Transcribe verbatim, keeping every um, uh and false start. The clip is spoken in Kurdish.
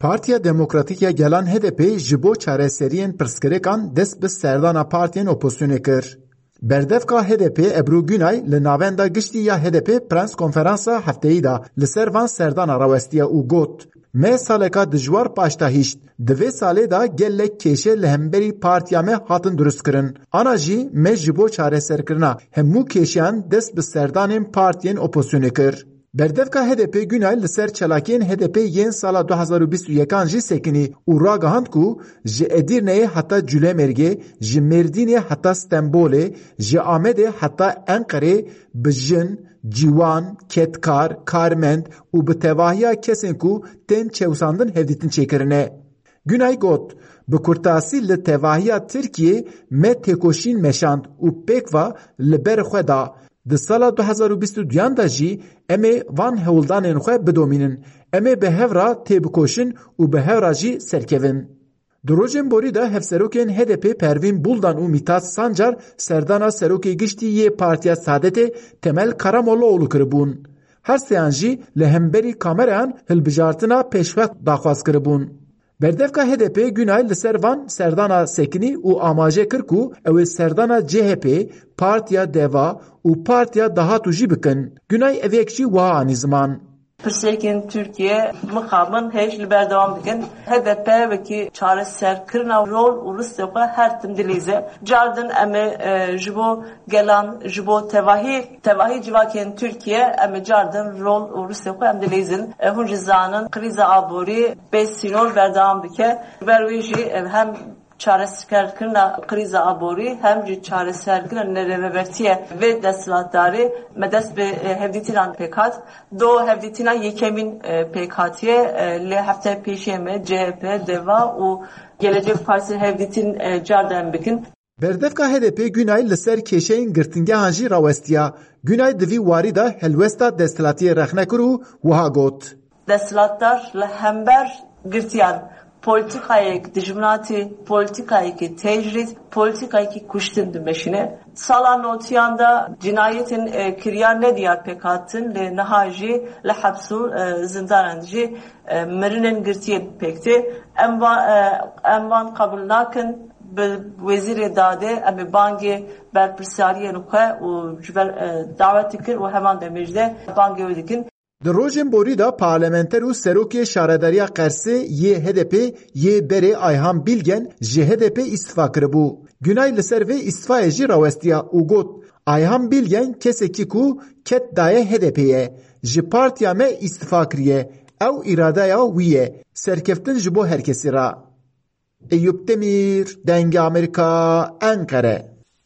Partiya Demokratîk ya Gelan H D P ji bo çareseriyên pirsgirêkan dest bi serdana partiyên opozisyonê kir. Berdevka H D P Ebru Günay li navenda giştî ya H D P prens konferansa hefteyî de li ser van serdana rawestiye û got, Me saleka dijwar paşta hişt. Di vê salê de gelek kêşe li hemberî partiya me hatin durustkirin. Ana jî me ji bo çareserkirina hemû kêşeyan dest bi serdanên partiyên opozisyonê kir. Berdevka H D P Günay li ser çalakiyên H D P yên sala du hazar û bîst û yekan jî sekinî û ragihand ku ji Edîrneyê heta Culemêrgê, ji Mêrdînê heta Stenbolê, ji Amedê heta Enqerê bi jin, ciwan, kedkar, karmend û bi tevahiya kesên ku tên çewsandin hevdîtin çêkirine. Günay got, Bi kurtasî li tevahiya Tirkiyê me têkoşîn meşand û pêk ve li ber xwe da. Di sala du hazar û bîst û duyan de jî em ê van hewldanên xwe bidomînin. Em ê bi hev re têbikoşin û bi hev re jî serkevin. Di rojên borî de hevserokên H D P Pervîn Buldan û Mîtat Sancar serdana serokê giştî yê Partiya Saadetê Temel Karamollaoğlu kiribûn. Her seyan jî li hemberî kamerayan hilbijartina pêşwext daxwaz kiribûn. Berdevka H D P Günay li ser van serdana sekinî û amaje kir ku ew ê serdana C H P, Partiya Deva û Partiya Dahatû jî bikin. Günay ev yek jî wiha anî ziman. Pirsêkên Tirkiye mixabin hêj li berdewam dikin. H D P wekî çareserkirina rol û ristê xwe her tim dilîze. Cardin em ê, e, ji bo gelan, ji bo tevahî, tevahî civakên Tirkiye em ê cardin rol û ristê xwe em dilîzin. E, hûn jî zanin krîza aborî bê sînor berdewam dike. Ber wê jî, e, hem çareserkirina krîza aborî hem jî çareserkirina nerêvebertiye vê desthilatdarê me dest bi, e, hevdîtinan pêk hat. Do hevdîtina yekemîn, e, pêk hatiye, e, lê hefte pêşiye me C H P, Deva û Gelecek Partisi hevdîtin, e, carden bikin. Berdevka H D P Günay li ser kêşeyên girtingehan jî rawestiya. Günay di vî warî de helwesta desthilatiyê rexne kir û wiha got. Desthilatdar li hember girtiyan polîtîkayek dijminatî, polîtîkayekî tecrîd, polîtîkayekî kuştin dimeşîne. Sala notiyan de cinayetên, e, kiriyan nediyar pêk hatin, lê niha jî li heps û, e, zindanan jî, e, mirinên girtiyên pêk tê. Em va-, e, em van qebûl nakin. Bi wezîrê dadê em ê bangê berpirsiyariyên xwe û ji ber, e, dawet dikir û heman demê jî de bangê wê dikin. Di rojên borî de parlamenter û serokê şaredariya Qersê yê H D P yê berê Ayhan Bilgen ji H D P îstifa kiribû. Günay li ser vê îstifayê jî rawestiya û got, Ayhan Bilgen kesekî ku ket daye H D P'ê ye. Ji partiya me îstifa kiriye. Ew îradeya wî ye. Serkeftin ji bo her kesî re. Eyûp Demîr, Dengê Amerîka, Enqere.